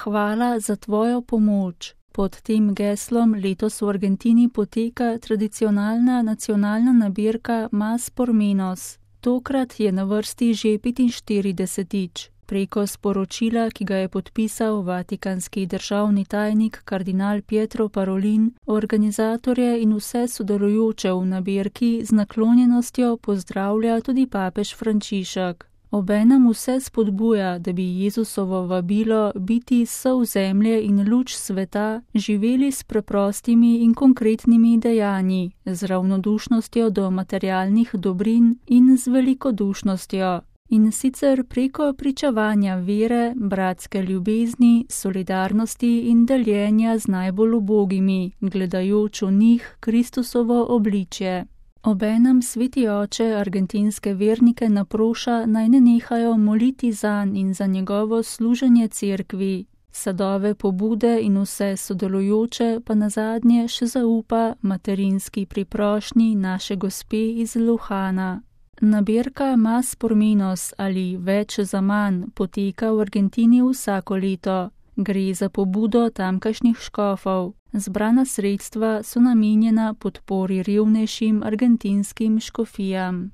Hvala za tvojo pomoč. Pod tem geslom letos v Argentini poteka tradicionalna nacionalna nabirka Mas por Menos. Tokrat je na vrsti že 45. Preko sporočila, ki ga je podpisal vatikanski državni tajnik kardinal Pietro Parolin, organizatorje in vse sodelujoče v nabirki z naklonjenostjo pozdravlja tudi papež Frančišek. Obenem vse spodbuja, da bi Jezusovo vabilo biti sol zemlje in luč sveta živeli s preprostimi in konkretnimi dejanji, z ravnodušnostjo do materialnih dobrin in z velikodušnostjo. In sicer preko pričevanja vere, bratske ljubezni, solidarnosti in deljenja z najbolj ubogimi, gledajoč v njih Kristusovo obličje. Obenem sveti oče argentinske vernike naproša, naj ne nehajo moliti zanj in za njegovo služenje cerkvi. Sadove pobude in vse sodelujoče pa nazadnje še zaupa materinski priprošnji naše gospe iz Lujana. Nabirka Mas por Menos ali Več za manj poteka v Argentini vsako leto. Gre za pobudo tamkajšnjih škofov. Zbrana sredstva so namenjena podpori revnejšim argentinskim škofijam.